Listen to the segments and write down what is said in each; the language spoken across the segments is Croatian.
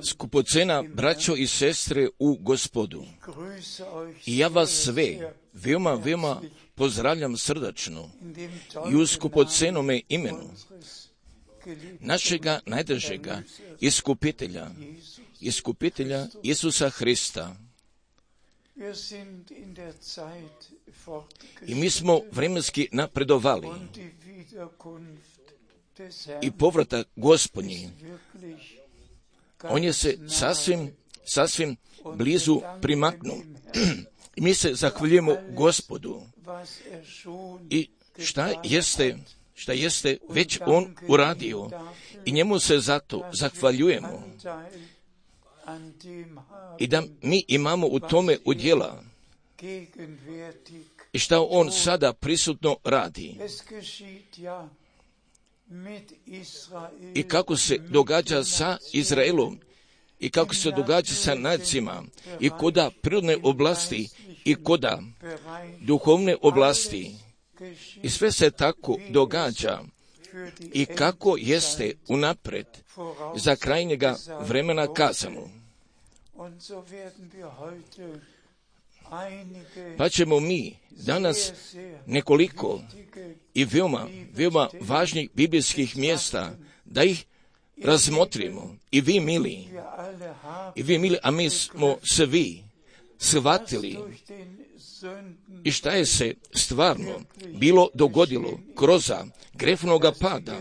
Skupocena braćo i sestre u Gospodu, i ja vas sve veoma pozdravljam srdačno i u skupocenome imenu našega najdražega iskupitelja Isusa Hrista. I mi smo vremenski napredovali i povratak Gospodnji, on je se sasvim blizu primaknuo. I mi se zahvaljujemo Gospodu. I šta jeste već on uradio, i njemu se zato zahvaljujemo. I da mi imamo u tome udjela i šta on sada prisutno radi. I kako se događa sa Izraelom, i kako se događa sa nacima, i koda prirodne oblasti, i koda duhovne oblasti. I sve se tako događa, i kako jeste unapred za krajnjega vremena kazano. Pa ćemo mi danas nekoliko i veoma važnih biblijskih mjesta da ih razmotrimo. I vi mili, a mi smo svi shvatili i šta je se stvarno bilo dogodilo kroz grehovnoga pada.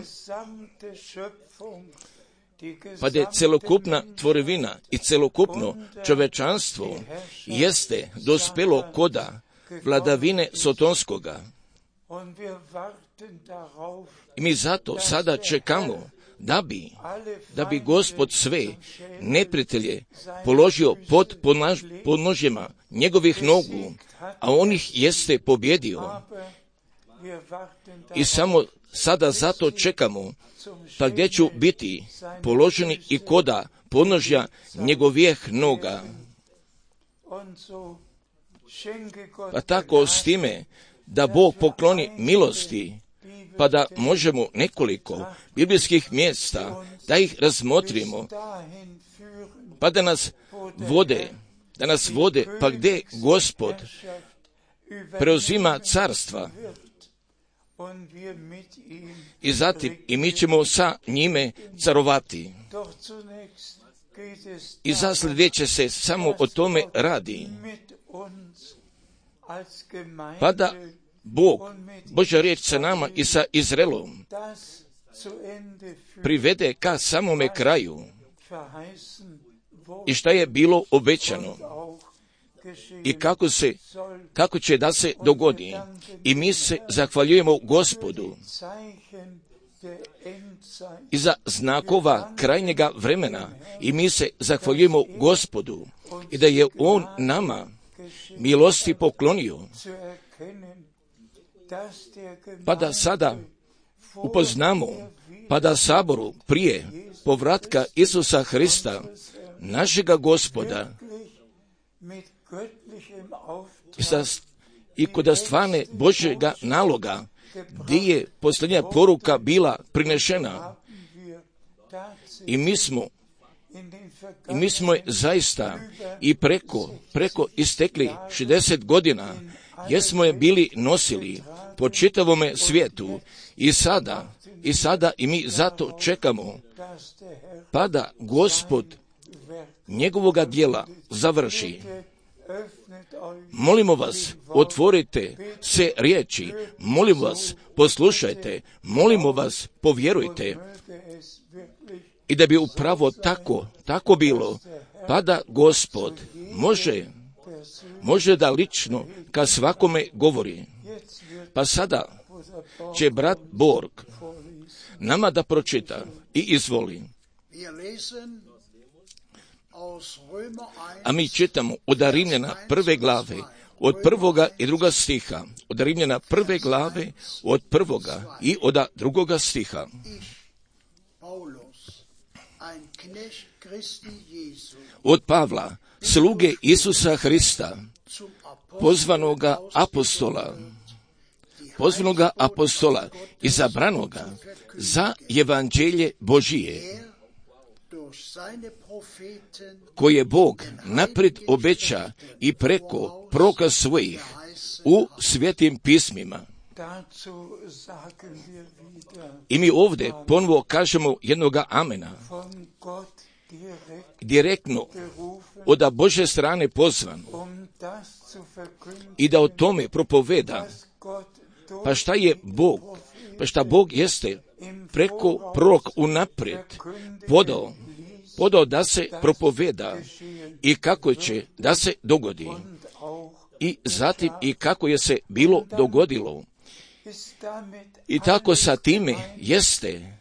Pa da je celokupna tvorevina i celokupno čovečanstvo jeste dospelo koda vladavine Sotonskoga. I mi zato sada čekamo da bi Gospod sve neprijatelje položio pod podnožjima njegovih nogu, a on ih jeste pobjedio. I samo sada zato čekamo, pa gdje ću biti položeni i koda podnožja njegovih noga. Pa tako s time da Bog pokloni milosti, pa da možemo nekoliko biblijskih mjesta da ih razmotrimo, pa da nas vode, pa gdje Gospod preuzima carstva. I zatim i mi ćemo sa njime carovati. I zasled već se samo o tome radi. Pa da Božja riječ sa nama i sa Izraelom privede ka samome kraju i šta je bilo obećano i kako će da se dogodi. I mi se zahvaljujemo Gospodu i za znakova krajnjega vremena, i mi se zahvaljujemo Gospodu i da je on nama milosti poklonio, pa da sada upoznamo, pa da saboru prije povratka Isusa Hrista, našega Gospoda, i kod stvarne Božjega naloga, gdje je posljednja poruka bila prinešena. I mi smo je zaista i preko istekli 60 godina, jer smo je bili nosili po čitavome svijetu, i sada i mi zato čekamo, pa da Gospod njegovoga djela završi. Molimo vas, otvorite se riječi, molimo vas, poslušajte, molimo vas, povjerujte, i da bi upravo tako bilo, pa da Gospod može da lično ka svakome govori. Pa sada će brat Borg nama da pročita i izvoli. A mi čitamo od Rimljana 1. glave, od 1. i 2. stiha, od Rimljana 1. glave, od 1. i od 2. stiha. Od Pavla, sluge Isusa Hrista, pozvanoga apostola, pozvanoga apostola, izabranoga za evanđelje Božije, koje Bog naprijed obeća i preko proroka svojih u svetim pismima. I mi ovdje ponovo kažemo jednoga amena, direktno od Božje strane pozvan i da o tome propoveda. Pa šta je Bog? Pa šta Bog jeste preko proroka unaprijed podao da se propoveda i kako će da se dogodi. I zatim i kako je se bilo dogodilo. I tako sa time jeste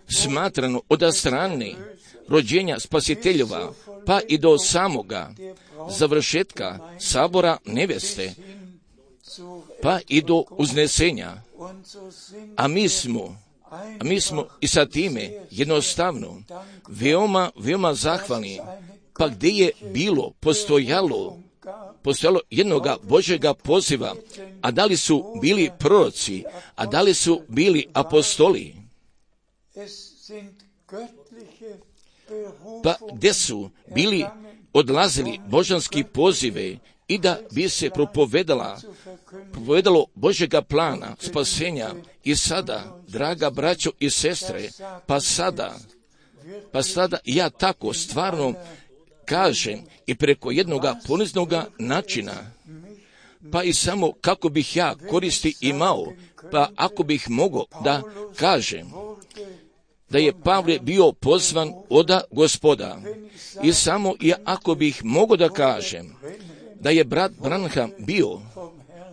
smatrano od strane rođenja spasiteljeva pa i do samoga završetka sabora neveste pa i do uznesenja. A mi smo i sa time jednostavno veoma zahvalni. Pa gdje je postojalo jednoga Božjega poziva, a da li su bili proroci, a da li su bili apostoli, pa gdje su bili odlazili božanski pozive i da bi se propovedalo Božjega plana spasenja. I sada, draga braćo i sestre, pa sada ja tako stvarno kažem i preko jednoga poniznoga načina, pa i samo kako bih ja koristi imao, pa ako bih mogao da kažem da je Pavle bio pozvan oda Gospoda, i samo i ako bih mogao da kažem da je brat Branham bio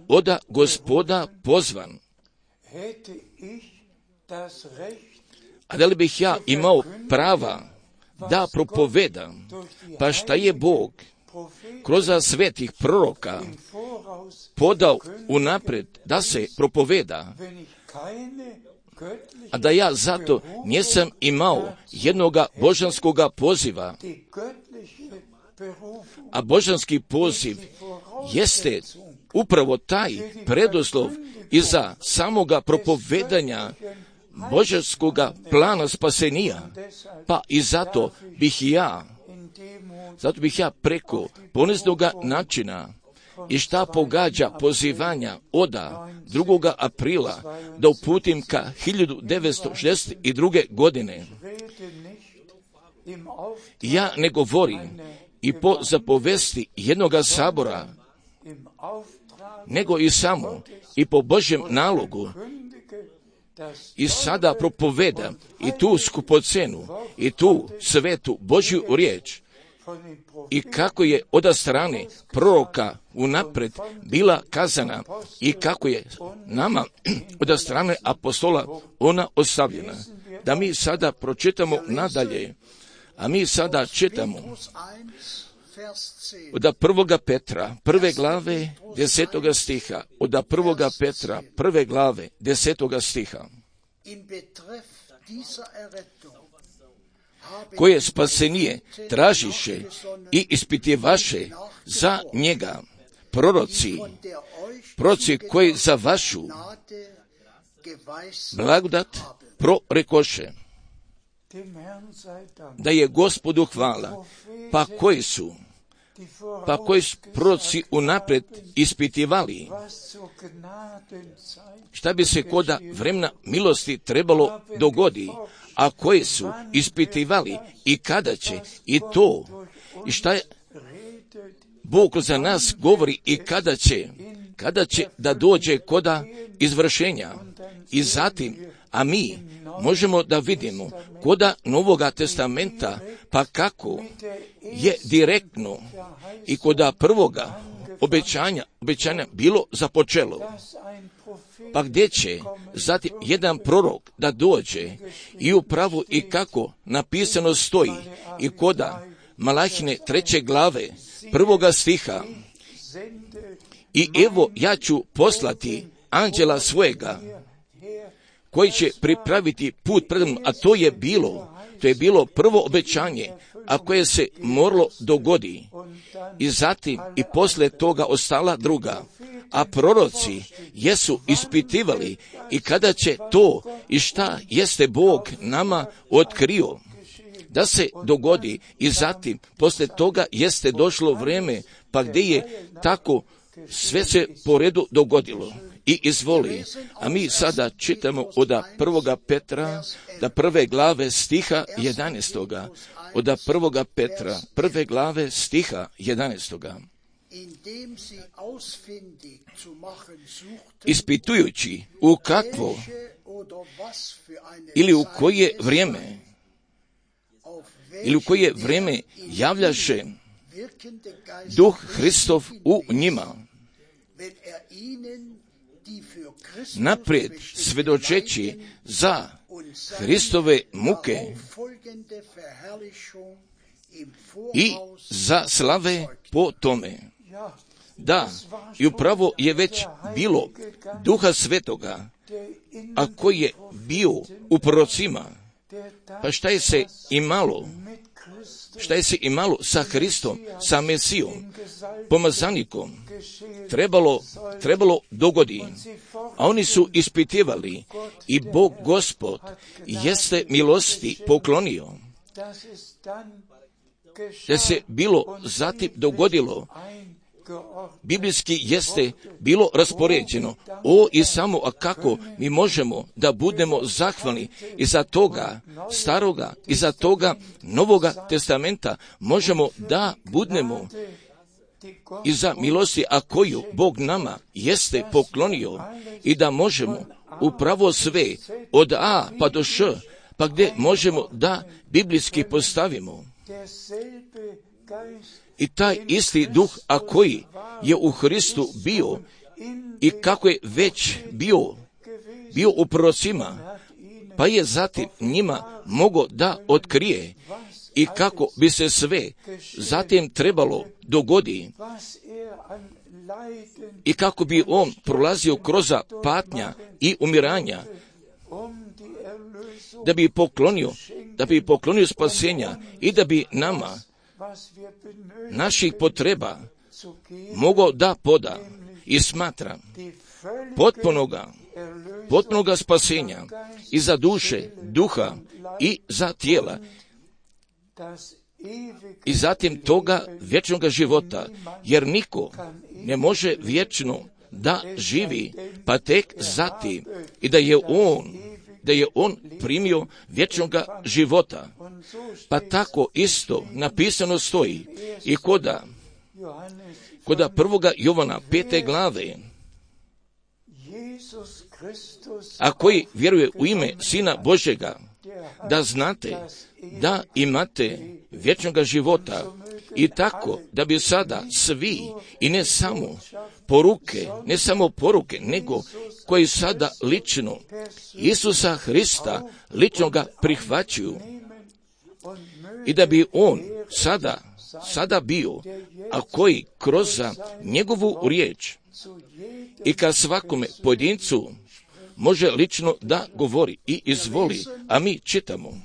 oda Gospoda pozvan, a da li bih ja imao prava da propovedam, pa šta je Bog kroz svetih proroka podao unaprijed da se propoveda, a da ja zato nisam imao jednoga božanskoga poziva. A božanski poziv jeste upravo taj preduslov iza samoga propovedanja božanskoga plana spasenija. Pa i zato bih ja preko poniznoga načina i šta pogađa pozivanja oda 2. aprila da uputim ka 1962. godine. Ja ne govorim i po zapovesti jednoga sabora, nego i samo i po Božjem nalogu. I sada propoveda i tu skupocenu i tu svetu Božju riječ, i kako je od strane proroka unaprijed bila kazana i kako je nama od strane apostola ona ostavljena. Da mi sada pročitamo nadalje, a mi sada čitamo od 1. Petra, 1. glave, 10. stiha, od 1. Petra, 1. glave, 10. stiha. Koje spasenije tražiše i ispitivaše za njega proroci koji za vašu blagodat prorekoše. Da je Gospodu hvala, pa koji su proroci unaprijed ispitivali šta bi se koda vremena milosti trebalo dogodi, a koji su ispitivali i kada će, i to, i šta je Bog za nas govori i kada će da dođe koda izvršenja. I zatim, a mi možemo da vidimo koda Novoga testamenta, pa kako je direktno i koda prvoga obećanja bilo započelo. Pa gdje će zatim jedan prorok da dođe i upravo i kako napisano stoji i koda Malahine 3. glave 1. stiha. I evo ja ću poslati anđela svojega koji će pripraviti put pred mnom, a to je bilo prvo obećanje, a koje se moralo dogodi. I zatim i posle toga ostala druga. a proroci jesu ispitivali i kada će to i šta jeste Bog nama otkrio da se dogodi i zatim poslije toga jeste došlo vrijeme pa gdje je tako sve se po redu dogodilo i izvoli. A mi sada čitamo od 1. Petra da 1. glave stiha 11. Od 1. Petra 1. glave stiha 11. Ispitujući u kakvo ili u koje vrijeme javljaše Duh Hristov u njima, naprijed svjedočeći za Hristove muke i za slave po tome. Da, i upravo je već bilo Duha Svetoga, a koji je bio u prorocima. Pa šta je se imalo sa Hristom, sa Mesijom, pomazanikom, trebalo dogodi. A oni su ispitivali i Bog Gospod jeste milosti poklonio. Da se bilo zatim dogodilo, biblijski jeste bilo raspoređeno. I samo, a kako mi možemo da budemo zahvalni iza toga staroga, iza toga Novoga testamenta, možemo da budemo iza milosti, a koju Bog nama jeste poklonio i da možemo upravo sve od A pa do Š, pa gdje možemo da biblijski postavimo. I taj isti duh, a koji je u Hristu bio i kako je već bio u prorocima, pa je zatim njima mogao da otkrije i kako bi se sve zatim trebalo dogodi i kako bi on prolazio kroz patnja i umiranja, da bi poklonio spasenja i da bi nama naših potreba mogao da poda i smatra potpunoga spasenja i za duše, duha i za tijela i zatim toga vječnog života, jer niko ne može vječno da živi, pa tek zatim i da je on primio vječnoga života. Pa tako isto napisano stoji i koda 1. Jovana 5. glave, a koji vjeruje u ime Sina Božjega, da znate da imate vječnoga života i tako da bi sada svi i ne samo poruke, nego koji sada lično Isusa Hrista lično ga prihvaćaju i da bi on sada bio, a koji kroz njegovu riječ i ka svakome pojedincu može lično da govori i izvoli. A mi čitamo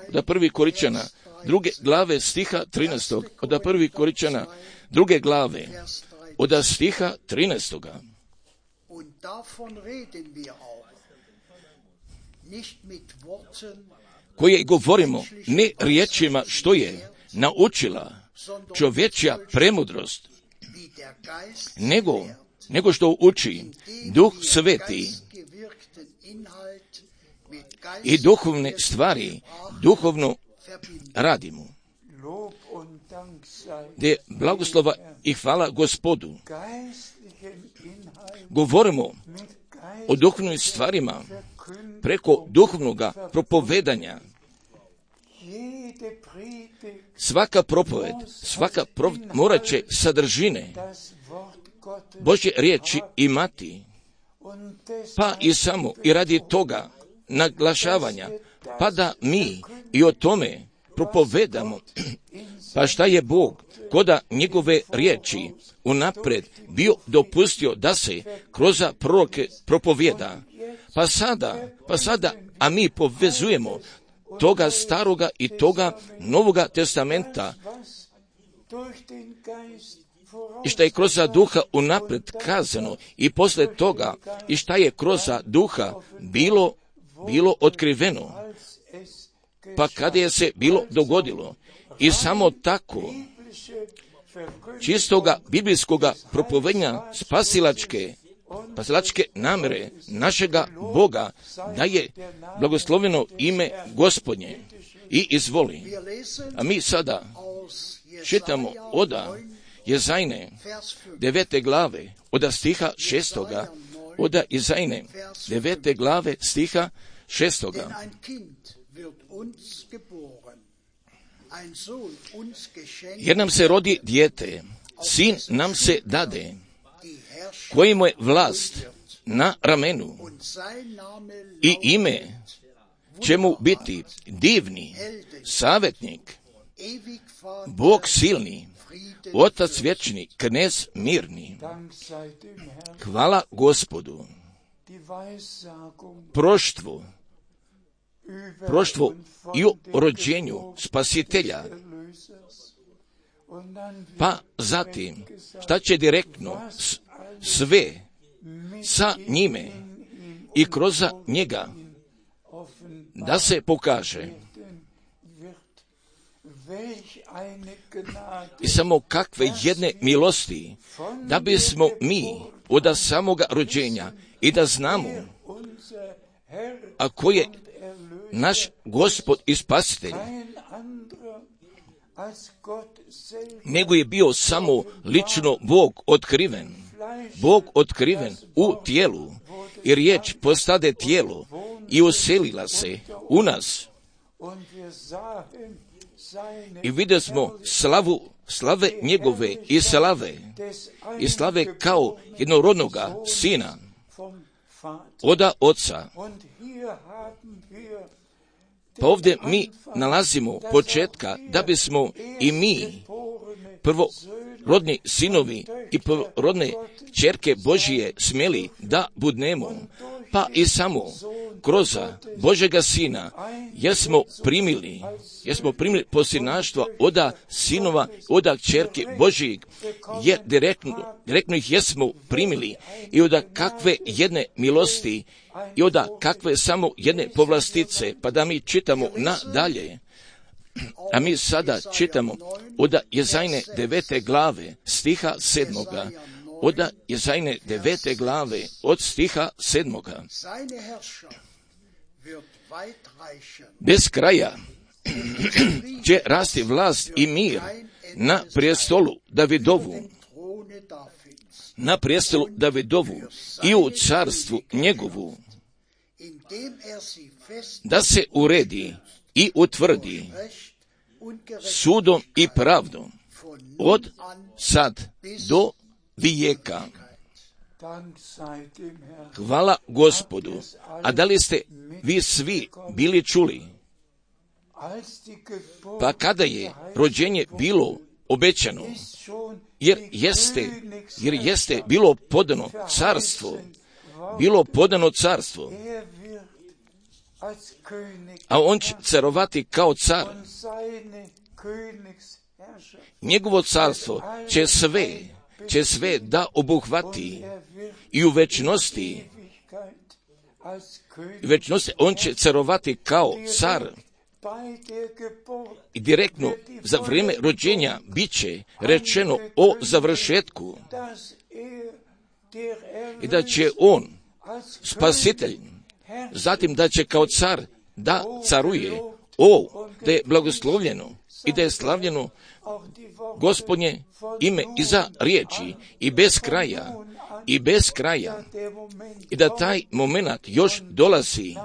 da 1. Korinčana 2. glave stiha 13. Od 1. Korinčana 2. glave od stiha 13. Koje govorimo ne riječima što je naučila čovječja premudrost, nego što uči Duh Sveti i duhovne stvari duhovno radimo. Gdje blagoslova i hvala Gospodu. Govorimo o duhovnim stvarima preko duhovnoga propovedanja. Svaka propoved morat će sadržine Božje riječi imati, pa i samo i radi toga naglašavanja, pa da mi i o tome propovedamo, pa šta je Bog koda njegove riječi unaprijed bio dopustio da se kroz proroke propovjeda, pa sada, a mi povezujemo toga staroga i toga Novoga testamenta i šta je kroz duha unaprijed kazano i posle toga i šta je kroz duha bilo otkriveno, pa kada je se bilo dogodilo. I samo tako čistoga biblijskoga propovednja spasilačke namere našega Boga, da je blagosloveno ime Gospodnje. I izvoli. A mi sada čitamo od Jezajne 9. glave, od stiha 6. Od Jezajne 9. glave stiha 6. Jer nam se rodi dijete, sin nam se dade, kojemu je vlast na ramenu, i ime će mu biti divni, savjetnik, Bog silni, Otac vječni, knez mirni. Hvala Gospodu. Proštvo i o rođenju spasitelja. Pa zatim, šta će direktno sve sa njime i kroz njega da se pokaže. I samo kakve jedne milosti, da bismo mi od samoga rođenja i da znamo, a ko je naš Gospod i Spasitelj, nego je bio samo lično Bog otkriven u tijelu, i riječ postade tijelo i uselila se u nas. I vidjeli smo slave njegove i slave kao jednorodnoga sina od Oca. Pa ovdje mi nalazimo početka da bismo i mi, prvorodni sinovi i prvorodne ćerke Božije, smjeli da budnemo, pa i samo kroz Božega Sina jesmo primili posljednaštva od sinova, od ćerke Božijeg, jer direktno ih jesmo primili, i od kakve jedne milosti i od kakve samo jedne povlastice. Pa da mi čitamo nadalje. A mi sada čitamo od Jezajne 9. glave stiha 7. Od Jezajne 9. glave od stiha 7. Bez kraja će rasti vlast i mir na prijestolu Davidovu i u carstvu njegovu, da se uredi i utvrdi sudom i pravdom od sad do vijeka. Hvala Gospodu. A da li ste vi svi bili čuli? Pa kada je rođenje bilo obećano, jer jeste bilo podano carstvo, a on će carovati kao car. Njegovo carstvo će sve da obuhvati, i u večnosti on će carovati kao car. I direktno za vrijeme rođenja bit će rečeno o završetku, i da će on, spasitelj, zatim da će kao car da caruje. Da je blagoslovljeno i da je slavljeno Gospodnje ime iza riječi, i bez kraja, i da taj moment još dolazi,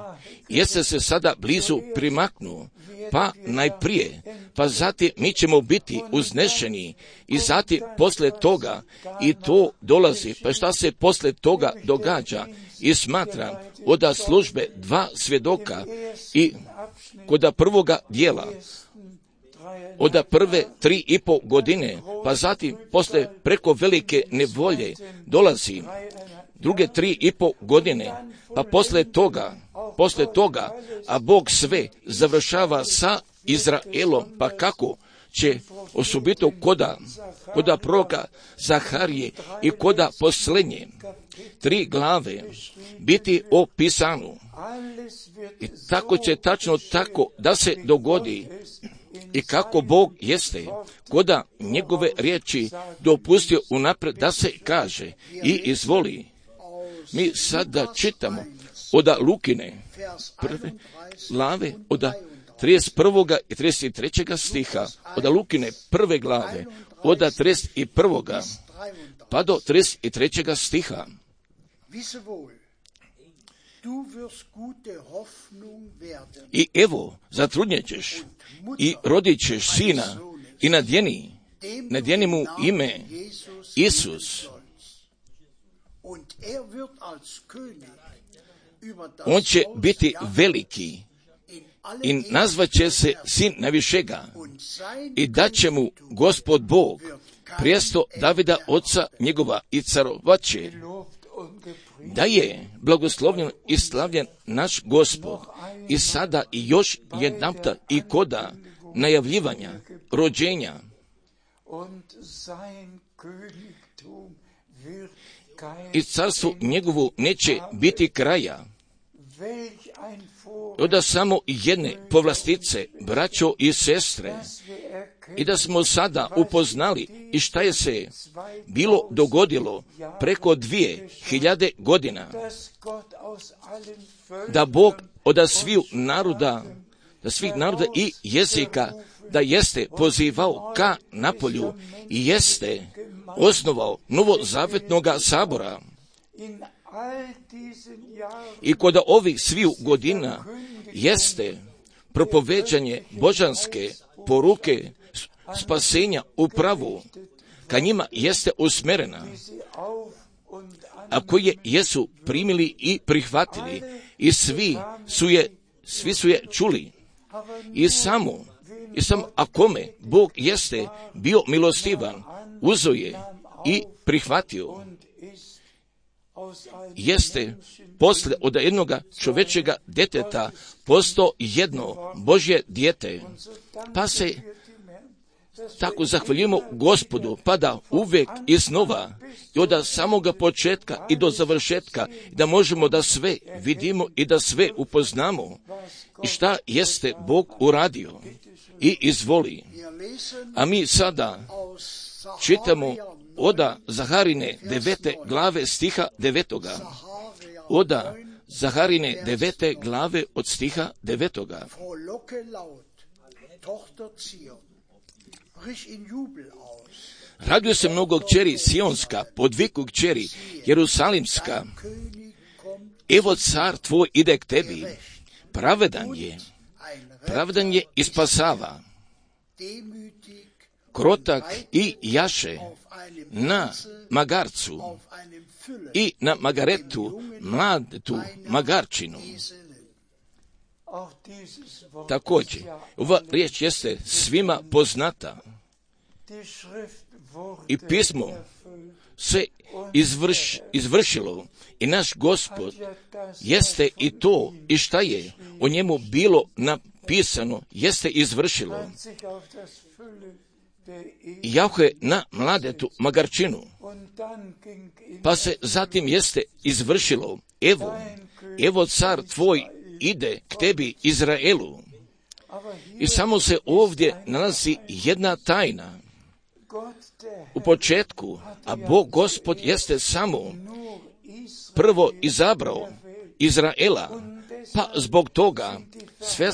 jeste se sada blizu primaknuo, pa najprije, pa zatim mi ćemo biti uznešeni, i zatim posle toga, i to dolazi. Pa šta se posle toga događa? I smatram od službe 2 svjedoka, i kod prvoga dijela, od prve 3,5 godine, pa zatim posle preko velike nevolje dolazi druge 3,5 godine, pa posle toga, a Bog sve završava sa Izraelom. Pa kako će osobito koda proroka Zaharije i koda posljednje 3 glave biti opisano. I tako će tačno tako da se dogodi i kako Bog jeste, koda njegove riječi dopustio unaprijed da se kaže i izvoli. Mi sada čitamo od Lukine prve glave, od 31. i 33. stiha, od Lukine prve glave, od 31. pa do 33. stiha. I evo, zatrudnjet ćeš i rodit ćeš sina i nadjeni mu ime Isus. On će biti veliki i nazvat će se Sin Najvišega i dat će mu Gospod Bog prijesto Davida oca njegova i carovat će. Da je blagoslovljen i slavljen naš Gospod i sada i još jedanputa i koda najavljivanja, rođenja. I carstvu njegovu neće biti kraja. Oda samo jedne povlastice, braćo i sestre, i da smo sada upoznali i šta je se bilo dogodilo preko 2000 godina, da Bog od svih naroda i jezika da jeste pozivao ka napolju i jeste osnovao novozavetnoga sabora. I kod ovih svih godina jeste propoveđanje božanske poruke spasenja upravo ka njima jeste usmerena, a koje jesu primili i prihvatili i svi su je čuli. I samo a kome Bog jeste bio milostivan, uzo je i prihvatio, jeste posle od jednoga čovečega djeteta postao jedno Božje dijete. Pa se tako zahvaljujemo Gospodu, pa da uvijek iznova i od samoga početka i do završetka, da možemo da sve vidimo i da sve upoznamo i šta jeste Bog uradio i izvoli. A mi sada čitamo od Zaharine 9. glave stiha 9. Od Zaharine 9. glave od stiha 9. Raduje se mnogo kćeri Sionska, podviku kćeri Jerusalimska. Evo car tvoj ide k tebi, pravedan je i spasava, krotak i jaše na magarcu i na magaretu, mladetu magarčinu. Također, ova riječ jeste svima poznata i pismo se izvršilo i naš Gospod jeste i to i šta je o njemu bilo napisano jeste izvršilo. Jahve na mladetu magarčinu, pa se zatim jeste izvršilo, evo car tvoj ide k tebi Izraelu. I samo se ovdje nalazi jedna tajna. U početku, a Bog Gospod jeste samo prvo izabrao Izraela, pa zbog toga sve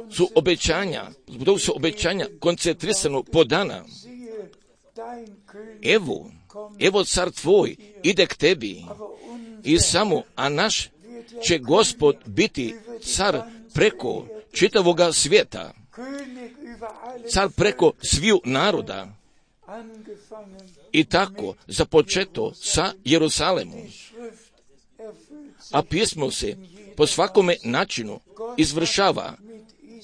su obećanja koncentrisano podana. Evo car tvoj ide k tebi i samo, a naš će Gospod biti car preko čitavoga svijeta, car preko sviju naroda. I tako započeto sa Jerusalemom. A pismo se po svakome načinu izvršava,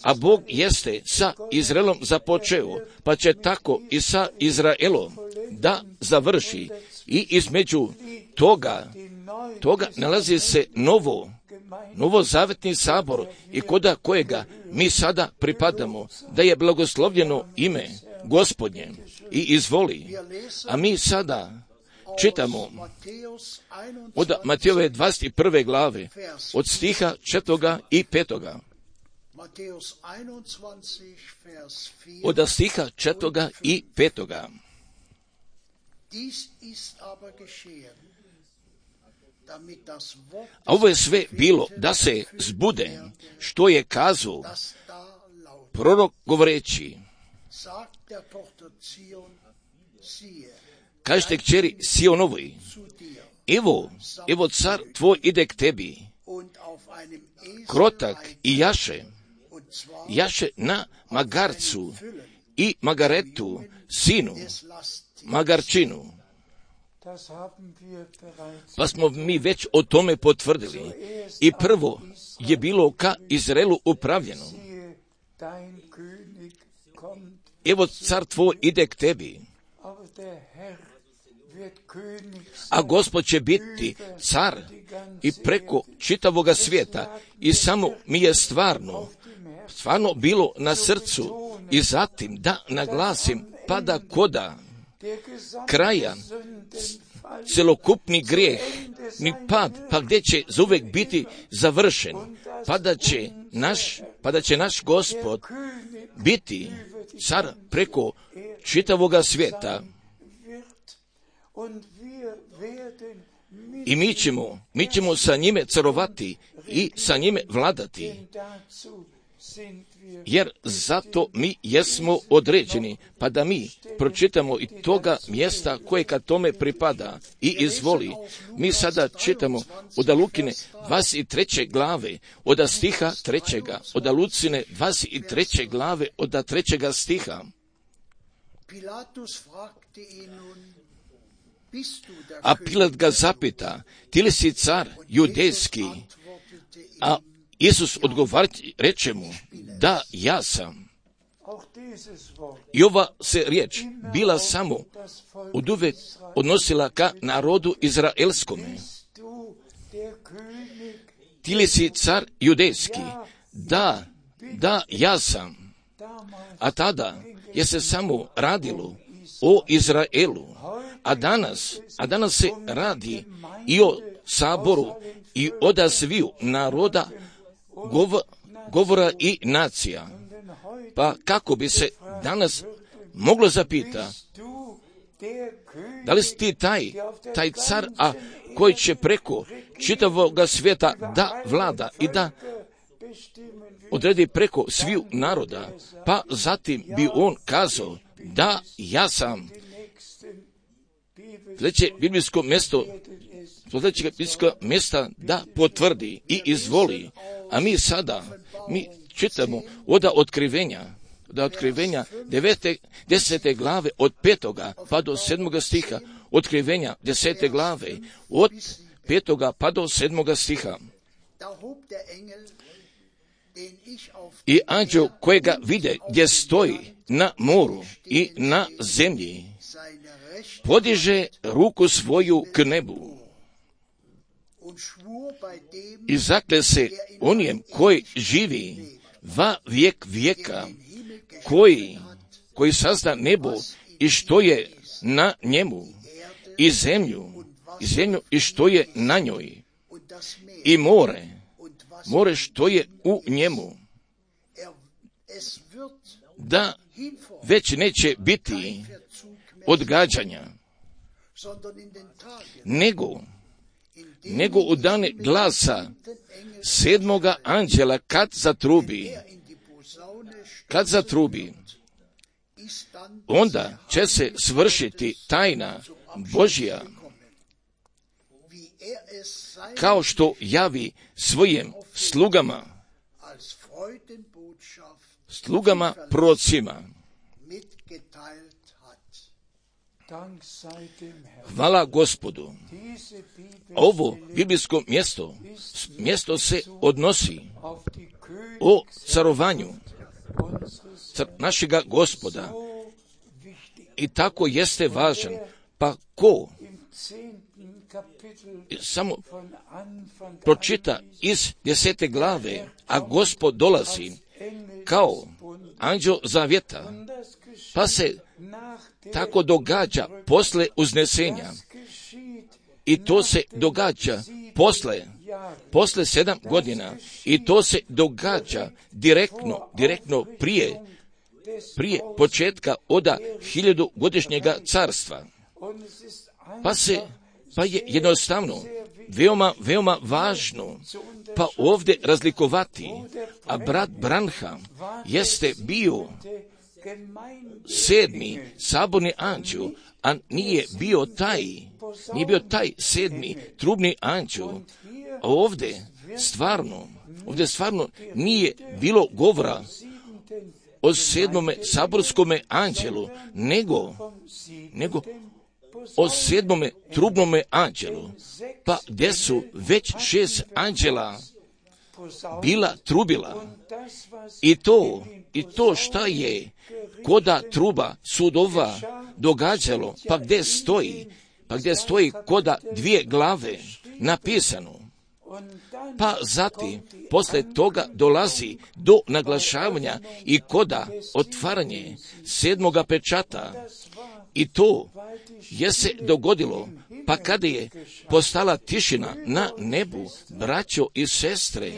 a Bog jeste sa Izraelom započeo, pa će tako i sa Izraelom da završi. I između toga nalazi se novozavetni sabor i koda kojega mi sada pripadamo, da je blagoslovljeno ime Gospodnje i izvoli. A mi sada čitamo od Matejove 21. glave, od stiha 4. i 5. Od stiha 4. i 5. A ovo je sve bilo da se zbude što je kazao prorok govoreći: kažete kćeri Sionovoj, evo car tvoj ide k tebi, krotak i jaše na magarcu i magaretu, sinu, magarčinu. Pa smo mi već o tome potvrdili. I prvo je bilo ka Izraelu upravljeno: evo car tvoj ide k tebi, a Gospod će biti car i preko čitavoga svijeta. I samo mi je stvarno bilo na srcu i zatim da naglasim, pa da koda kraja celokupni grijeh, ni pad, pa gdje će zauvijek biti završen, pa da će naš Gospod biti car preko čitavoga svijeta. I mi ćemo sa njime carovati i sa njime vladati, jer zato mi jesmo određeni, pa da mi pročitamo i toga mjesta koje ka tome pripada. I izvoli, mi sada čitamo od Lukine 23. glave, od stiha 3. od Lucine 23. glave, od 3. stiha. A Pilat ga zapita: ti li si car judejski? A Isus odgovori, reče mu: da, ja sam. I ova se riječ bila samo oduvek odnosila ka narodu izraelskome. Ti li si car judejski? Da, ja sam. A tada je se samo radilo o Izraelu. A danas se radi i o saboru i o sviju naroda, govora i nacija. Pa kako bi se danas moglo zapita, da li si ti taj car, a koji će preko čitavoga svijeta da vlada i da odredi preko sviju naroda? Pa zatim bi on kazao: da, ja sam. Sljedeće biblijsko mjesta da potvrdi i izvoli. A mi sada čitamo od otkrivenja 10. glave od 5. pa do 7. stiha, otkrivenja 10. glave od 5. pa do 7. stiha. I anđeo kojega vide gdje stoji na moru i na zemlji, podiže ruku svoju k nebu i zakle se onijem koji živi va vijek vijeka, koji sazda nebo i što je na njemu, i zemlju i što je na njoj, i more što je u njemu, da već neće biti odgađanja, nego u dane glasa 7. anđela kad zatrubi, onda će se svršiti tajna Božja, kao što javi svojim slugama prorocima. Hvala Gospodu. Ovo biblijsko mjesto se odnosi o carovanju našega Gospoda. I tako jeste važan. Pa ko samo pročita iz 10. glave, a Gospod dolazi kao anđeo zavjeta, pa se tako događa posle uznesenja. I to se događa posle 7 godina. I to se događa direktno prije početka oda 1000-godišnjega carstva. Pa je jednostavno veoma važno pa ovdje razlikovati, a brat Branham jeste bio 7. saborni anđeo, a nije bio taj 7. trubni anđeo. A ovdje stvarno nije bilo govora o 7. saborskome anđelu, nego o 7. trubnome anđelu, pa gdje su već 6 anđela bila trubila. I to šta je koda truba sudova događalo, pa gdje stoji koda 2 glave napisano. Pa zatim, posle toga dolazi do naglašavanja i koda otvaranje 7. pečata. I to je se dogodilo, pa kada je postala tišina na nebu, braćo i sestre,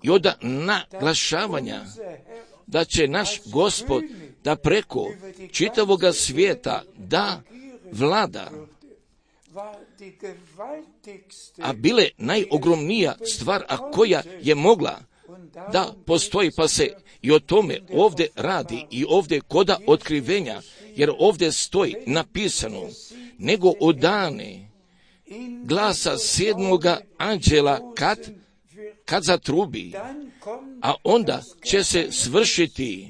i od naglašavanja da će naš Gospod da preko čitavoga svijeta da vlada, a bile najogromnija stvar, a koja je mogla da postoji, pa se i o tome ovdje radi i ovdje koda otkrivenja, jer ovdje stoji napisano, nego o dane glasa 7. anđela kad zatrubi, a onda će se svršiti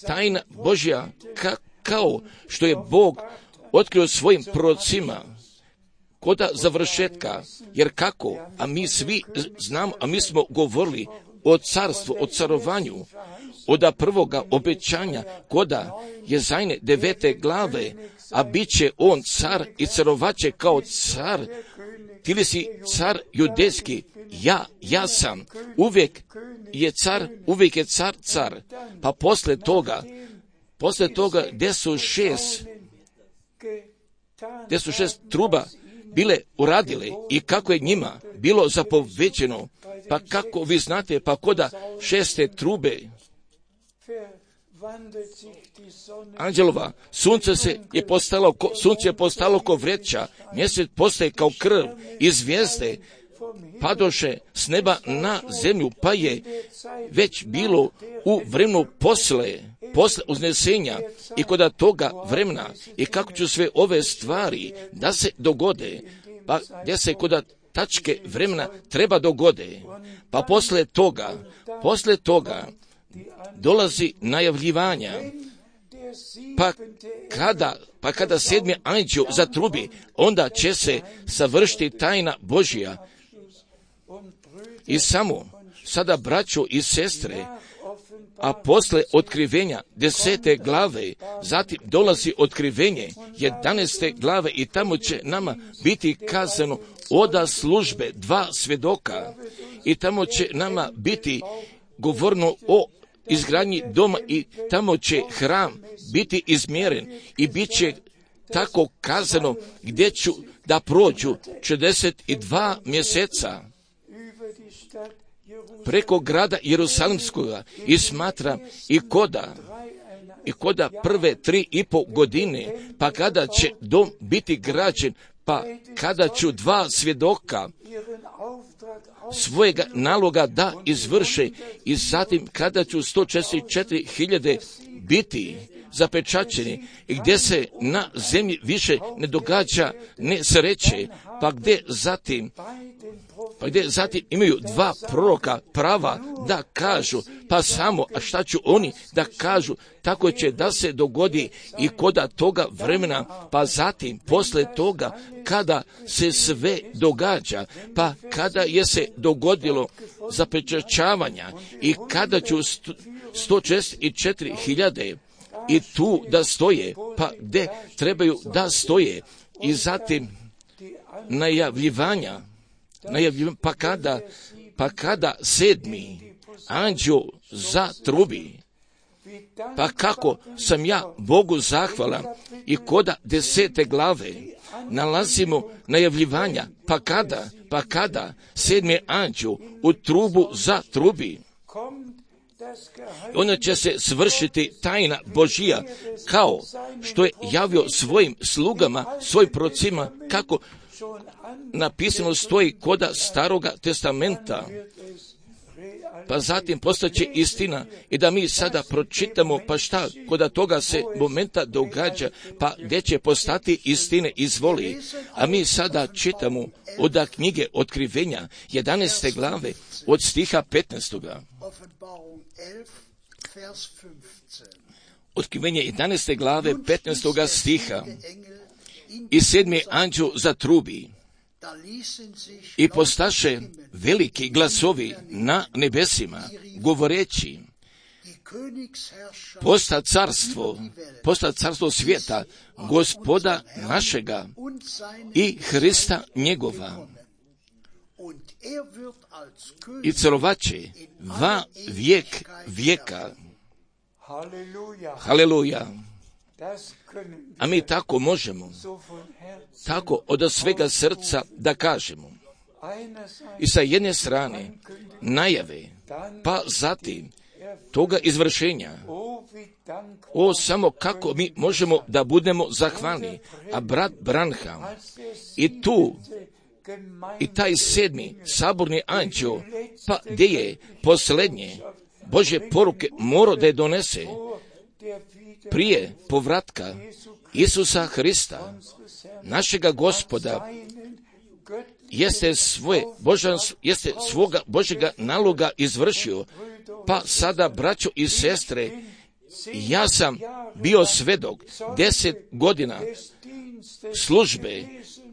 tajna Božja, kao što je Bog otkrio svojim prorocima koda završetka, jer kako, a mi svi znamo, a mi smo govorili o carstvu, o carovanju, od prvoga obećanja koda je Jezajne 9. glave, a bit će on car i carovaće kao car. Ti li si car judejski? Ja sam. Uvijek je car. Pa posle toga gdje su 6 truba bile uradile i kako je njima bilo zapovećeno, pa kako vi znate, pa koda 6. trube anđelova, sunce je postalo ko vreća, mjesec postaje kao krv i zvijezde padoše s neba na zemlju, pa je već bilo u vremenu posle uznesenja i koda toga vremena i kako će sve ove stvari da se dogode, pa gdje se koda tačke vremena treba dogode, pa posle toga dolazi najavljivanja, pa kada 7. anđeo zatrubi, onda će se savršiti tajna Božja. I samo sada, braćo i sestre, a posle otkrivenja 10. glave, zatim dolazi otkrivenje 11. glave i tamo će nama biti kazano oda službe 2 svjedoka i tamo će nama biti govorno o izgradnji doma i tamo će hram biti izmjeren i bit će tako kazano gdje ću da prođu 42 mjeseca preko grada Jerusalimskoga i smatram i koda prve 3,5 godine, pa kada će dom biti građen, pa kada ću 2 svjedoka svojega naloga da izvrše i zatim kada ću 144.000 biti zapečaćeni i gdje se na zemlji više ne događa nesreće, pa gdje zatim imaju 2 proroka prava da kažu, pa samo, a šta ću oni da kažu, tako će da se dogodi i koda toga vremena, pa zatim posle toga kada se sve događa, pa kada je se dogodilo zapečaćavanja i kada ću 144.000 i tu da stoje, pa gdje trebaju da stoje i zatim najavljivanja, pa kada 7. anđeo zatrubi, pa kako sam ja Bogu zahvalan i koda 10. glave nalazimo najavljivanja, pa kada 7. anđeo u trubu zatrubi, onda će se svršiti tajna Božija, kao što je javio svojim slugama, svojim prorocima, kako napisano stoji koda Staroga testamenta. Pa zatim postaće istina i da mi sada pročitamo, pa šta koda toga se momenta događa, pa gdje će postati istine izvoli. A mi sada čitamo od knjige Otkrivenja 11. glave od stiha 15. Otkrivenje 11. glave 15. stiha. I 7. anđeo zatrubi, i postaše veliki glasovi na nebesima, govoreći, posta carstvo svijeta, Gospoda našega i Hrista njegova. I celovaće va vijek vijeka. Haleluja. A mi tako možemo, tako od svega srca da kažemo. I sa jedne strane najave, pa zatim toga izvršenja. O, samo kako mi možemo da budemo zahvalni. A brat Branham i tu i taj 7. saborni anđeo, pa gdje je posljednje Božje poruke morao da je donese prije povratka Isusa Hrista, našega Gospoda, jeste svoga Božjega naloga izvršio. Pa sada, braćo i sestre, ja sam bio svedok 10 godina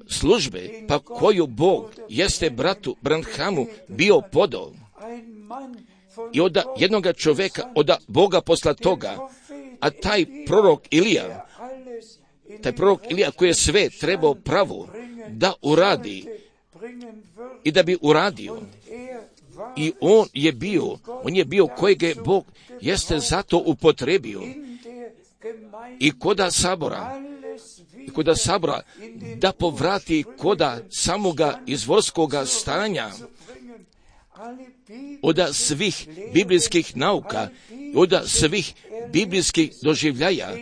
službe, pa koju Bog jeste bratu Branhamu bio podao. I od jednoga čovjeka, od Boga posla toga, a taj prorok Ilija koji je sve trebao pravo da uradi i da bi uradio. I on je bio kojeg je Bog jeste zato upotrebio. I koda sabora da povrati koda samoga izvorskoga stanja, od svih biblijskih nauka, od svih biblijskih doživljaja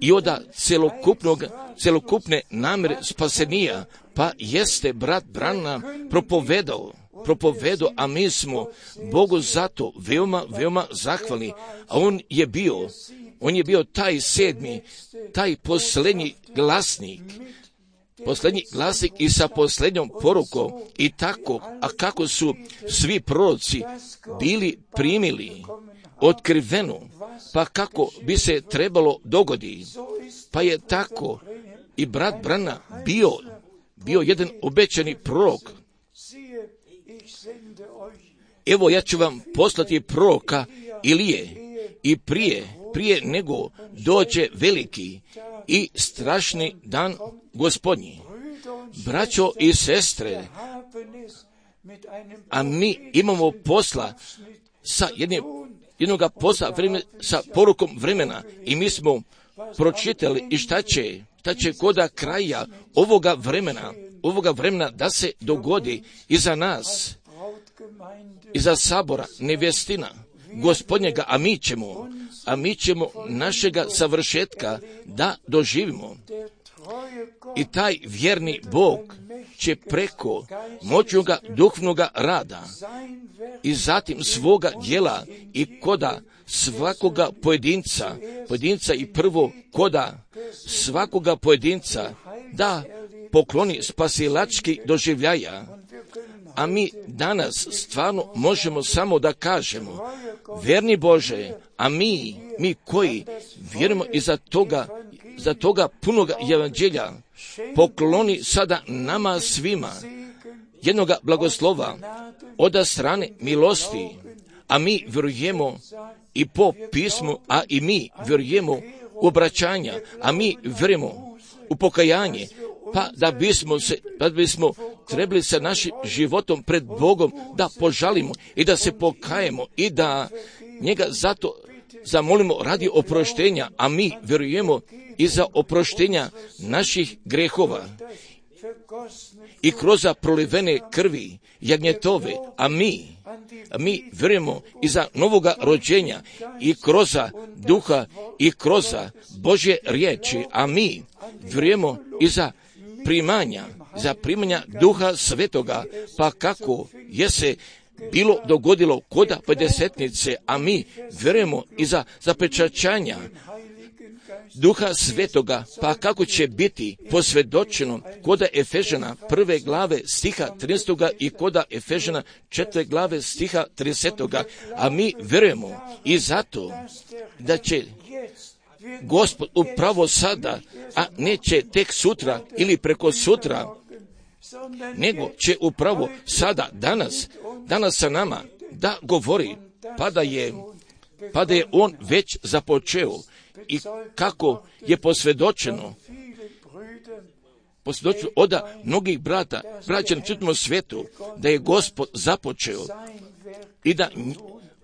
i od celokupne namere spasenija, pa jeste brat Branham propovedao, a mi smo Bogu zato veoma, veoma zahvalni. A on je bio taj 7. taj posljednji glasnik i sa posljednjom porukom i tako, a kako su svi proroci bili primili otkrivenu, pa kako bi se trebalo dogodi, pa je tako i brat Branham bio jedan obećani prorok. Evo, ja ću vam poslati proroka Ilije i prije nego dođe veliki i strašni dan Gospodnji. Braćo i sestre, a mi imamo posla sa sa porukom vremena i mi smo pročitali i šta će koda kraja ovoga vremena da se dogodi iza nas, iza sabora nevjestina Gospodnjega, a mi ćemo našega savršetka da doživimo. I taj vjerni Bog će preko moćnoga duhovnoga rada i zatim svoga djela i koda svakoga pojedinca i prvo koda svakoga pojedinca da pokloni spasilački doživljaja. A mi danas stvarno možemo samo da kažemo, vjerni Bože, a mi koji vjerujemo za toga punoga evanđelja, pokloni sada nama svima jednoga blagoslova od strane milosti, a mi vjerujemo i po pismu, a i mi vjerujemo u obraćanja, a mi vjerujemo u pokajanje, pa da bismo trebali sa našim životom pred Bogom da požalimo i da se pokajemo i da njega zato zamolimo radi oproštenja, a mi vjerujemo i za oproštenja naših grehova i kroz prolivene krvi jagnjetove, a mi vjerujemo i za novoga rođenja i kroz duha i kroz Božje riječi, a mi vjerujemo i za primanja duha svetoga, pa kako je se bilo dogodilo koda pedesetnice, a mi vjerujemo i za zapečaćanja duha svetoga, pa kako će biti posvjedočeno koda Efežana 1. glave stiha 13. i koda Efežana 4. glave stiha 30. A mi vjerujemo i zato da će Gospod upravo sada, a neće tek sutra ili preko sutra, nego će upravo sada, danas sa nama da govori, pa da je on već započeo i kako je posvjedočeno od mnogih braća na čitavom svijetu, da je Gospod započeo i da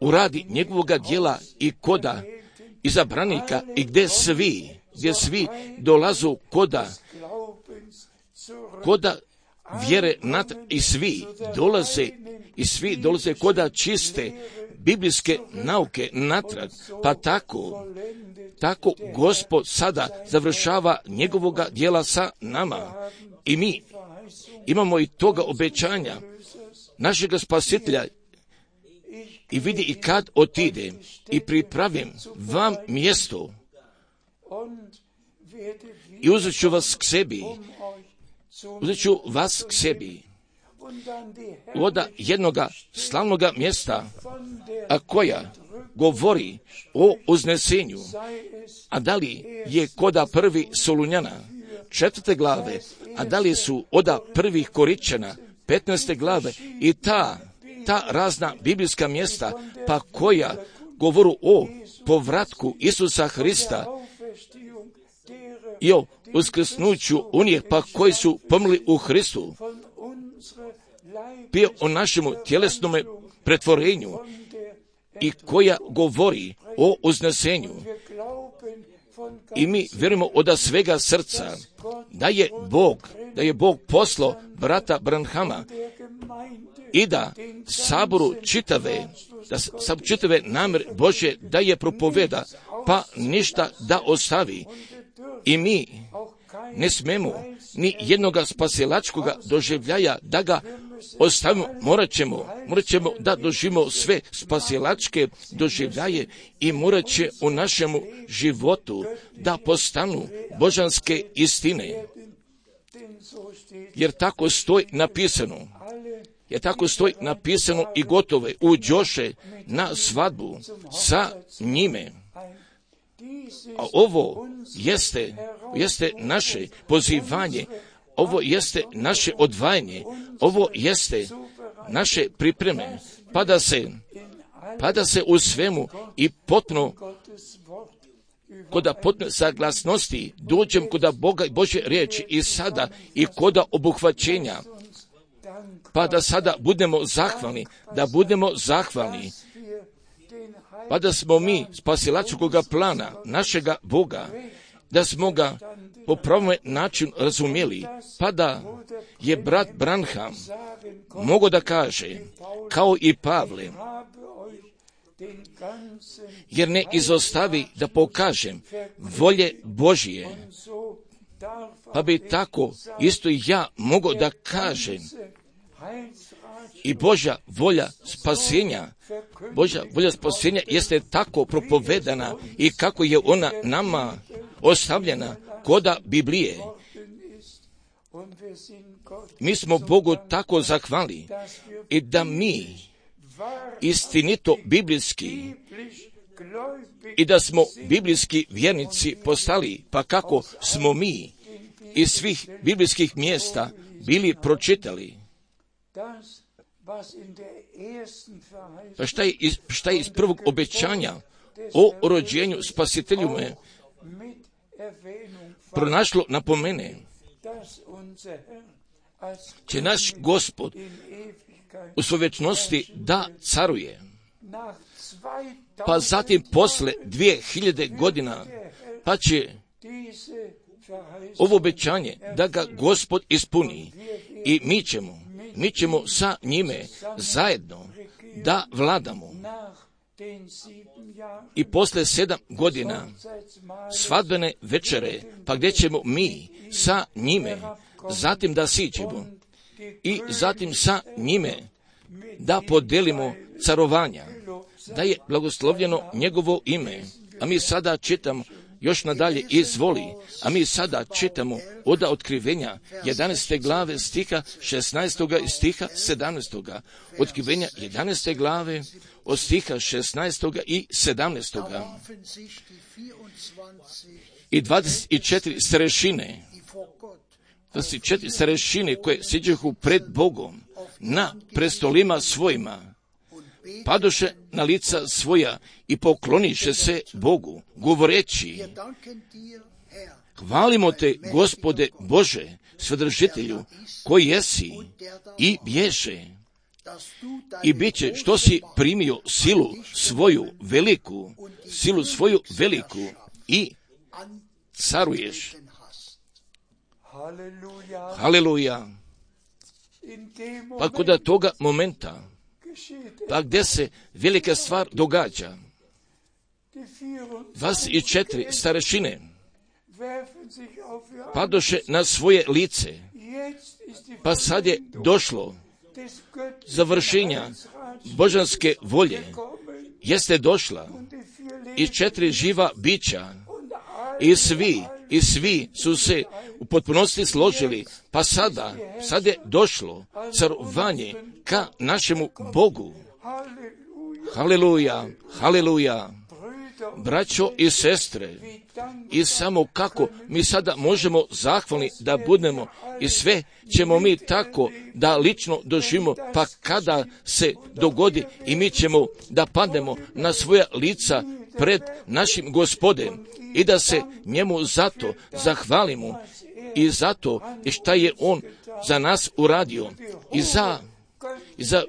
uradi njegovoga djela i koda izabranika i gdje svi dolazu koda vjere i svi dolaze koda čiste biblijske nauke natrag, pa tako Gospod sada završava njegovoga djela sa nama i mi imamo i toga obećanja našega Spasitelja i vidi i kad otide i pripravim vam mjesto i uzet ću vas k sebi od jednoga slavnoga mjesta, a koja govori o uznesenju, a da li je koda 1. Solunjana 4. glave, a da li su od 1. Koričana 15. glave i ta razna biblijska mjesta, pa koja govoru o povratku Isusa Hrista i o uskrsnuću onih pa koji su pomrli u Hristu, pio o našemu tjelesnom pretvorenju i koja govori o uznesenju. I mi vjerujemo od svega srca da je Bog poslao brata Branhama i da saboru čitave namjer Božje da je propoveda, pa ništa da ostavi. I mi ne smemo ni jednoga spasilačkoga doživljaja da ga ostavimo, morat ćemo da doživimo sve spasilačke doživljaje i morat će u našemu životu da postanu božanske istine. Jer tako stoji napisano i gotove uđoše na svadbu sa njime. A ovo jeste naše pozivanje, ovo jeste naše odvajanje, ovo jeste naše pripreme, pa da se u svemu i potpuno koda potpune saglasnosti dođem koda Boga i Božje riječi i sada i koda obuhvaćenja, pa da sada budemo zahvalni, pa da smo mi spasilačkoga plana našega Boga, da smo ga po pravom načinu razumjeli, pa da je brat Branham mogao da kaže, kao i Pavle, jer ne izostavi da pokažem volje Božije, pa bi tako isto i ja mogao da kažem i Božja volja spasenja jeste tako propovedana i kako je ona nama ostavljena koda Biblije. Mi smo Bogu tako zahvali i da mi istinito biblijski i da smo biblijski vjernici postali, pa kako smo mi iz svih biblijskih mjesta bili pročitali. Pa šta je iz prvog obećanja o rođenju Spasitelju me pronašlo napomene će naš Gospod u svojoj vječnosti da caruje. Pa zatim posle 2000 godina pa će ovo obećanje da ga Gospod ispuni i mi ćemo sa njime zajedno da vladamo. I posle 7 godina svadbene večere, pa gdje ćemo mi sa njime zatim da siđemo i zatim sa njime da podelimo carovanja, da je blagoslovljeno njegovo ime. A mi sada čitamo još nadalje, izvoli, a mi sada čitamo od Otkrivenja 11. glave stiha 16. i stiha 17. Otkrivenja 11. glave od stiha 16. i 17. I 24 starešine, 24 starešine koje siđehu pred Bogom na prestolima svojima, padoše na lica svoja i pokloniše se Bogu, govoreći: hvalimo te, Gospode Bože, Svedržitelju, koji jesi i bješe, i bit će što si primio silu svoju veliku i caruješ. Haleluja. Pa kod toga momenta, pa gdje se velika stvar događa, 24 starešine padoše na svoje lice, pa sad je došlo završenja božanske volje, jeste došla i 4 živa bića i svi su se u potpunosti složili, pa sad je došlo carovanje ka našemu Bogu. Haleluja, haleluja. Braćo i sestre, i samo kako mi sada možemo zahvalni da budemo, i sve ćemo mi tako da lično doživimo, pa kada se dogodi i mi ćemo da padnemo na svoja lica pred našim Gospodem i da se njemu zato zahvalimo i zato šta je on za nas uradio i za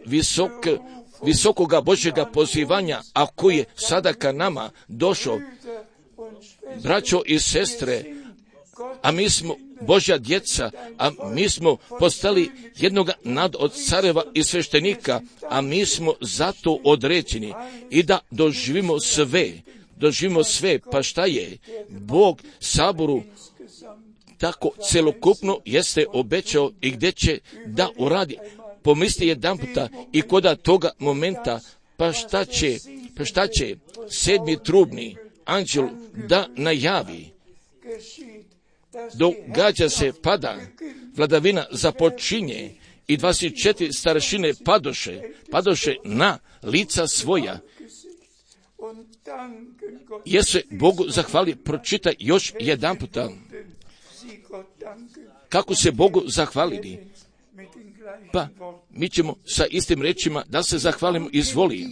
visokoga Božjega pozivanja, a koji je sada ka nama došao. Braćo i sestre, a mi smo Božja djeca, a mi smo postali jednoga od careva i sveštenika, a mi smo zato određeni i da doživimo sve, pa šta je Bog saboru tako celokupno jeste obećao i gdje će da uradi. Pomisli jedan puta i kod toga momenta, pa šta će 7. trubni anđel da najavi. Događa se, pada, vladavina započinje i 24 starešine padoše na lica svoja. Jesu Bogu zahvali, pročitaj još jedan puta. Kako se Bogu zahvalili? Pa mi ćemo sa istim rečima da se zahvalimo, izvoli,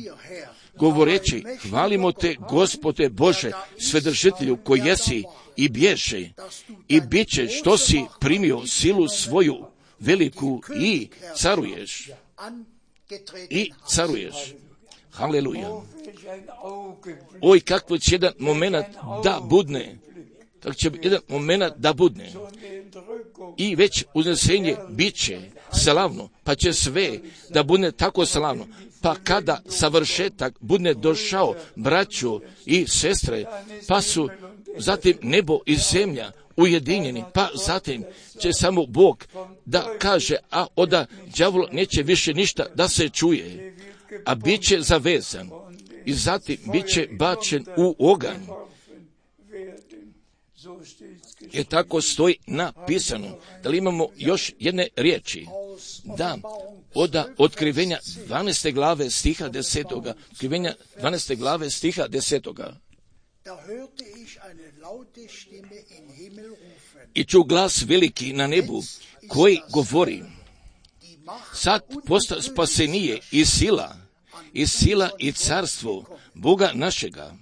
govoreći: hvalimo te, Gospode Bože, Svedržitelju, koji jesi i bješe, i bit će što si primio silu svoju veliku i caruješ. Haleluja. Oj, kakvo će jedan moment da budne. Kako će jedan moment da budne. I već uznesenje bit će slavno, pa će sve da bude tako slavno. Pa kada savršetak bude došao, braćo i sestre, pa su zatim nebo i zemlja ujedinjeni, pa zatim će samo Bog da kaže, a oda đavolo neće više ništa da se čuje, a bit će zavezan i zatim bit će bačen u oganj. Je tako stoji napisano. Da li imamo još jedne riječi? Da, od Otkrivenja 12. glave stiha 10. Otkrivenja 12. glave stiha 10. I ču glas veliki na nebu koji govori: sad posta spasenije i sila i carstvo Boga našega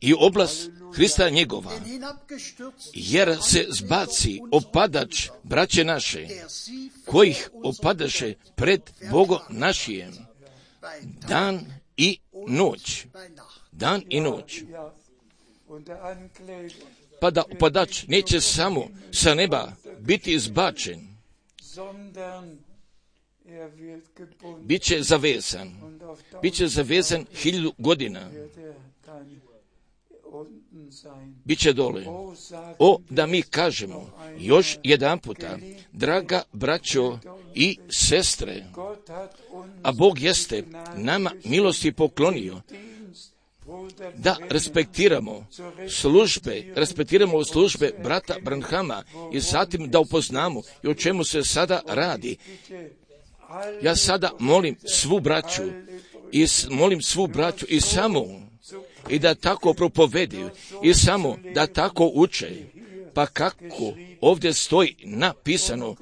i oblast Hrista njegova, jer se zbaci opadač braće naše, kojih opadaše pred Bogom našijem, dan i noć. Dan i noć. Pa da opadač neće samo sa neba biti izbačen, bit će zavezan 1000 godina, bit će dole. Da mi kažemo još jedan puta, draga braćo i sestre, a Bog jeste nama milosti poklonio da respektiramo službe brata Branhama i zatim da upoznamo i o čemu se sada radi. Ja sada molim svu braću i samo i da tako propovedaju i samo da tako uče, pa kako ovdje stoji napisano,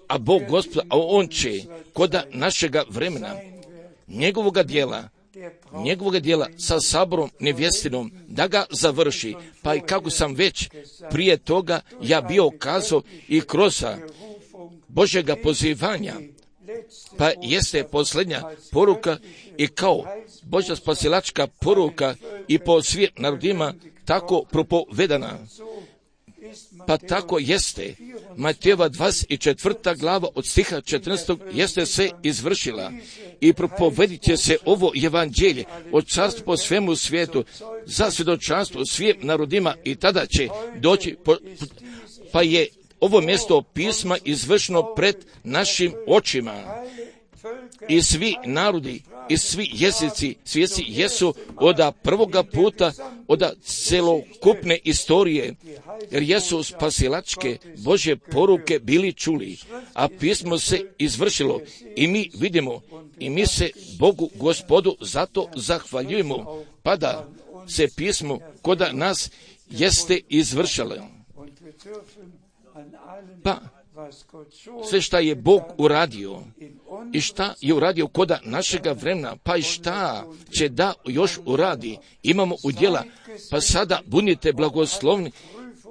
a Bog Gospod, a On će koda našega vremena njegovoga dijela sa saborom nevjestinom da ga završi, pa i kako sam već prije toga ja bio kazao i kroz Božjega pozivanja, pa jeste posljednja poruka i kao Božja spasilačka poruka i po svim narodima tako propovedana. Pa tako jeste Matejeva 24. glava od stiha 14. jeste se izvršila i propovedit će se ovo evanđelje od carstva po svemu svijetu za svjedočanstvo svim narodima i tada će doći, pa je ovo mjesto pisma izvršeno pred našim očima. I svi narodi i svi jezici svijesti jesu od prvoga puta, od celokupne istorije, jer jesu spasilačke Božje poruke bili čuli, a pismo se izvršilo i mi vidimo i mi se Bogu Gospodu zato zahvaljujemo, pa da se pismo koda nas jeste izvršilo. Pa sve šta je Bog uradio i šta je uradio koda našega vremena, pa i šta će da još uradi, imamo udjela, pa sada budite blagoslovni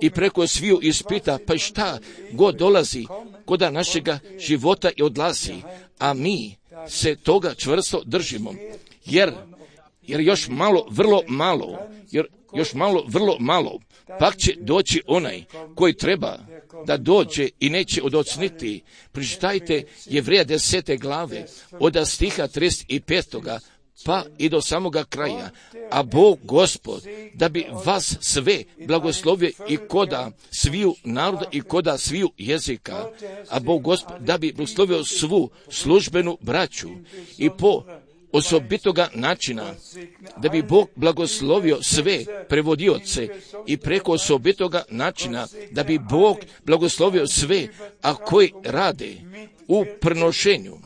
i preko sviju ispita, pa i šta god dolazi koda našega života i odlazi, a mi se toga čvrsto držimo, jer još malo, vrlo malo, pak će doći onaj koji treba da dođe i neće odocniti. Pročitajte Jevreja 10. glave od stiha 35. pa i do samoga kraja. A Bog Gospod da bi vas sve blagoslovio i koda sviju naroda i koda sviju jezika. A Bog Gospod da bi blagoslovio svu službenu braću i po osobitoga načina, da bi Bog blagoslovio sve prevodioce i preko osobitoga načina, da bi Bog blagoslovio sve, a koji rade u prenošenju,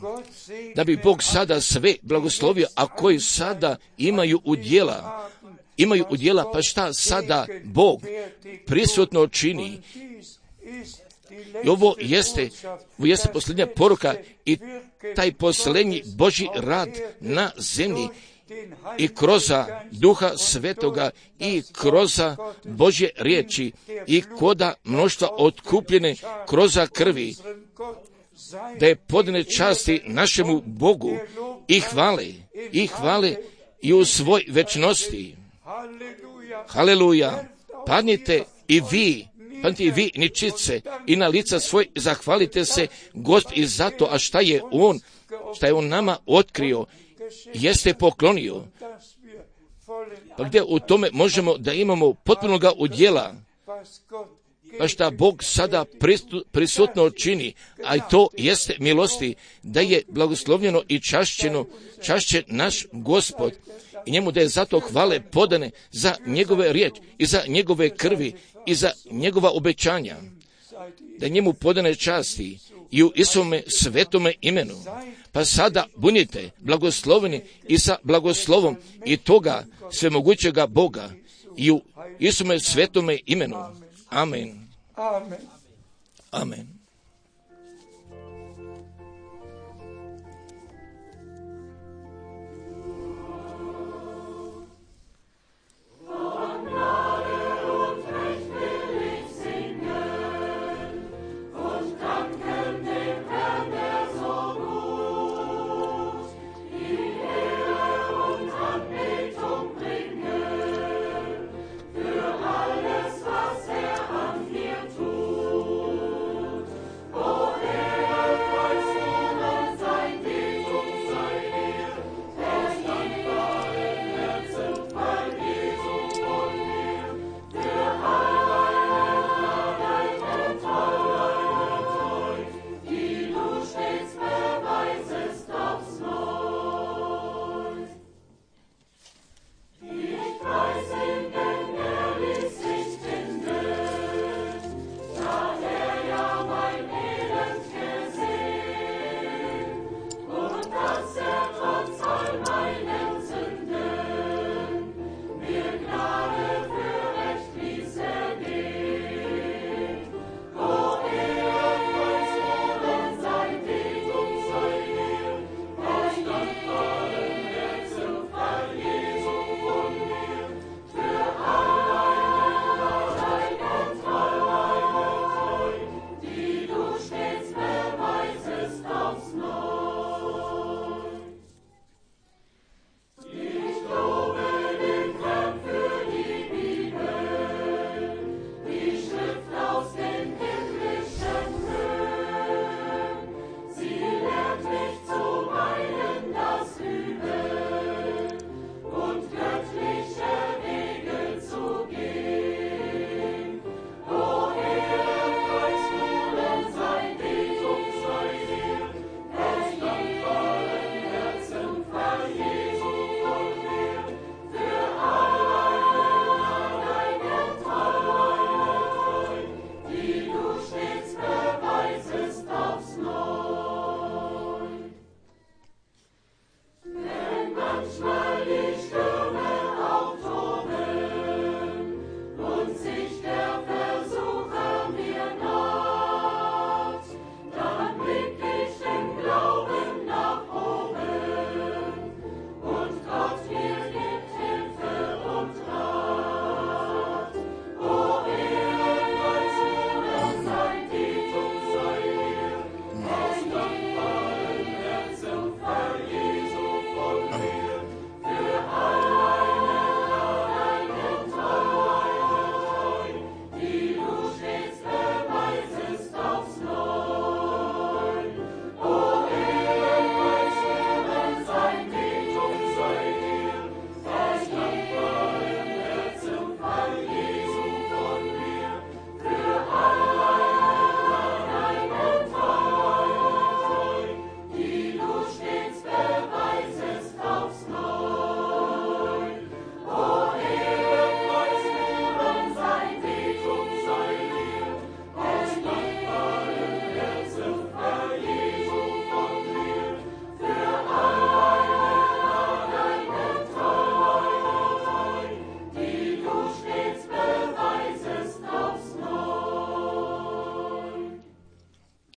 da bi Bog sada sve blagoslovio, a koji sada imaju udjela, pa šta sada Bog prisutno čini. I ovo jeste posljednja poruka i taj posljednji Božji rad na zemlji i kroz Duha Svetoga i kroz Božje riječi i koda mnoštva otkupljene kroz krvi, da je podane časti našemu Bogu i hvale i u svoj večnosti. Haleluja! Padnite i vi ničice i na lica svoj zahvalite se Gospod i zato, a šta je on nama otkrio, jeste poklonio. Pa gdje u tome možemo da imamo potpunoga udjela, pa šta Bog sada prisutno čini, a i to jeste milosti, da je blagoslovljeno i čašćen naš Gospod i njemu da je zato hvale podane za njegove riječi i za njegove krvi i za njegova obećanja, da njemu podane časti i u Isuvome svetome imenu. Pa sada budite blagosloveni i sa blagoslovom i toga svemogućega Boga i u Isuvome svetome imenu. Amen. Amen.